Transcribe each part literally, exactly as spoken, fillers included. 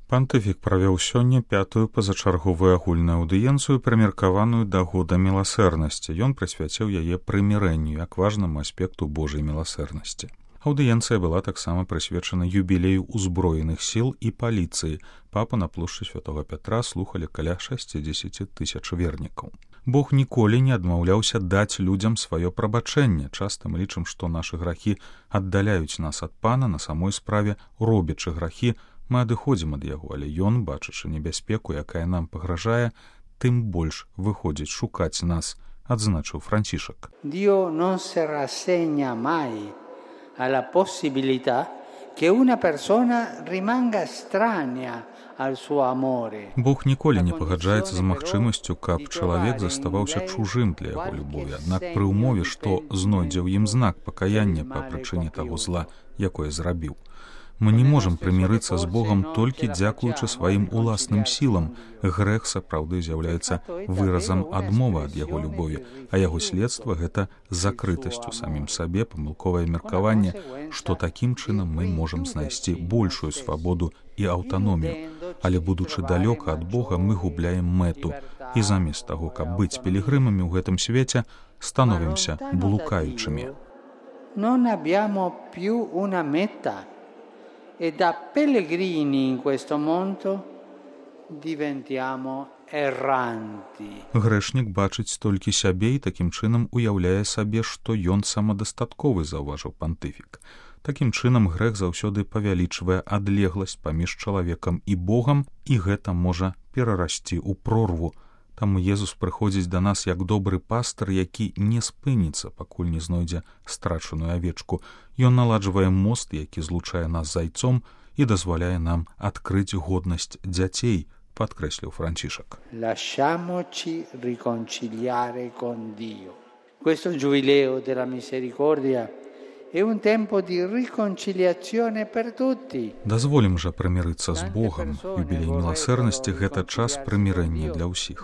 Пантыфік правёў сёння пятую пазачарговую агульную аўдыенцыю, прымеркаваную да года міласэрнасці. Ён прысвяціў яе прымірэнню як важнаму аспекту Божай міласэрнасці. Аўдыенцыя была таксама прысвечана юбілею ўзброеных сіл і паліцыі. Папа на плошчы Святога Пятра слухалі каля шэсцідзесят тысяч вернікаў. Бог ніколі не адмаўляўся даць людзям сваё прабачэнне. Часта мы лічым, што нашы грахі аддаляюць нас ад Пана, на самой справе, робячы грахі, мы адыходзім ад яго, але ён, бачачы небяспеку, якая нам пагражае, тым больш выходзіць шукаць нас, адзначыў Францішак. Dio non si rassegna mai alla possibilità che una persona rimanga estranea al suo amore. Бог ніколі не пагаджаецца з магчымасцю, каб чалавек заставаўся чужым для яго любові, аднак пры ўмове, што знойдзе ў ім знак пакаяння па прычыне таго зла, якое зрабіў. Мы не можам прымірыцца з Богам толькі дзякуючы сваім уласным сілам. Грэх сапраўды з'яўляецца выразам адмовы ад яго любові, а яго следства — гэта закрытасць у самім сабе, памылковае меркаванне, што такім чынам мы можам знайсці большую свабоду і аўтаномію. Але будучы далёка ад Бога, мы губляем мэту, і замест таго, каб быць пілігрымамі ў гэтым свеце, становімся блукаючымі. Non abbiamo più una meta. E da pellegrini in questo mondo diventiamo erranti. Грэшнік бачыць толькі сябе і такім чынам уяўляе сабе, што ён самадастатковы, заўважыў пантыфік. Такім чынам грэх заўсёды павялічвае адлегласць паміж чалавекам і Богам, і гэта можа перарасці ў прорву. Таму Езус прыходзіць да нас як добры пастыр, які не спыніцца, пакуль не знойдзе страчаную авечку. Ён наладжвае мост, які злучае нас з айцом і дазваляе нам адкрыць годнасць дзяцей, падкрэсліў Францішак. Lasciamoci riconciliare con Dio. Questo giubileo della misericordia è un tempo di riconciliazione per tutti. Дазволім жа прымірыцца з Богам. Юбілей міласэрнасці — гэта час прымірэння для ўсіх.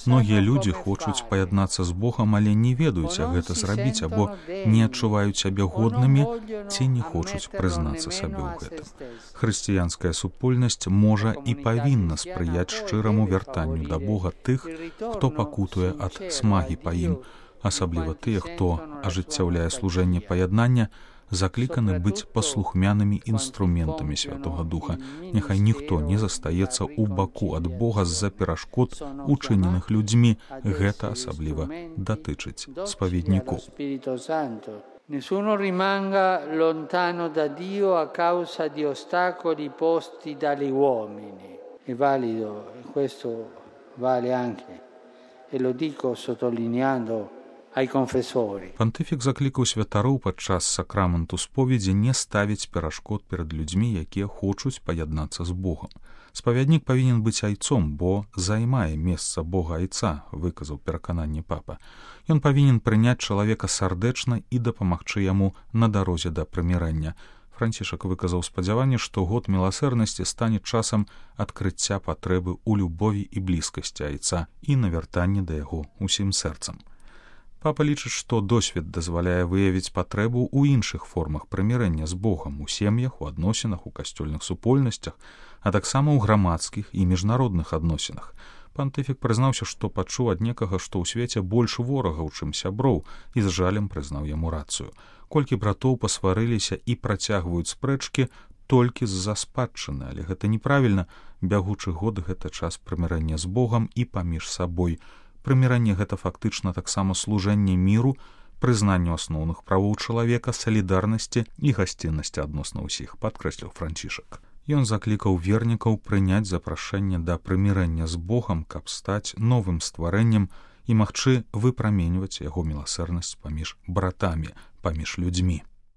Многія людзі хочуць паяднацца з Богам, але не ведаюць, як гэта зрабіць, або не адчуваюць сябе годнымі ці не хочуць прызнацца сабе ў гэтым. Хрысціянская супольнасць можа і павінна спрыяць шчыраму вяртанню да Бога тых, хто пакутуе ад смагі па ім. Асабліва тыя, хто ажыццяўляе служэнне паяднання, закліканы быць паслухмянымі інструментамі Святога Духа. Няхай ніхто не застаецца ў баку ад Бога з-за перашкод, учыненых людзьмі. Гэта асабліва датычыць спаведнікоў. Nessuno rimanga lontano da Dio a causa di ostacoli posti dagli uomini. È valido, questo vale anche, e lo dico sottolineando ai confessori. Пантыфік заклікаў святароў падчас сакраменту споведзі не ставіць перашкод перад людзьмі, якія хочуць паяднацца з Богам. Спавяднік павінен быць айцом, бо займае месца Бога айца, выказаў перакананне папа. Ён павінен прыняць чалавека сардэчна і дапамагчы яму на дарозе да прымірэння. Францішак выказаў спадзяванне, што год міласэрнасці стане часам адкрыцця патрэбы ў любові і блізкасці айца і навяртанні да яго усім сэрцам. Папа лічыць, што досвед дазваляе выявіць патрэбу ў іншых формах прымірэння з Богам, у сем'ях, у адносінах, у касцёльных супольнасцях, а таксама ў грамадскіх і міжнародных адносінах. Пантыфік прызнаўся, што пачуў ад некага, што ў свеце больш ворагаў, чым сяброў, і з жалем прызнаў яму рацыю. Колькі братоў пасварыліся і працягваюць спрэчкі толькі з-за спадчыны, але гэта неправільна. Бягучы год — гэта час прымірэння з Богам і паміж сабой. Прыміранне — гэта фактычна таксама служэнне міру, прызнанню асноўных правоў чалавека, салідарнасці і гасціннасці адносна ўсіх, падкрэсліў Францішак. Ён заклікаў вернікаў прыняць запрашэнне да прымірэння з Богам, каб стаць новым стварэннем і магчы выпраменьваць яго міласэрнасць паміж братамі, паміж людзьмі.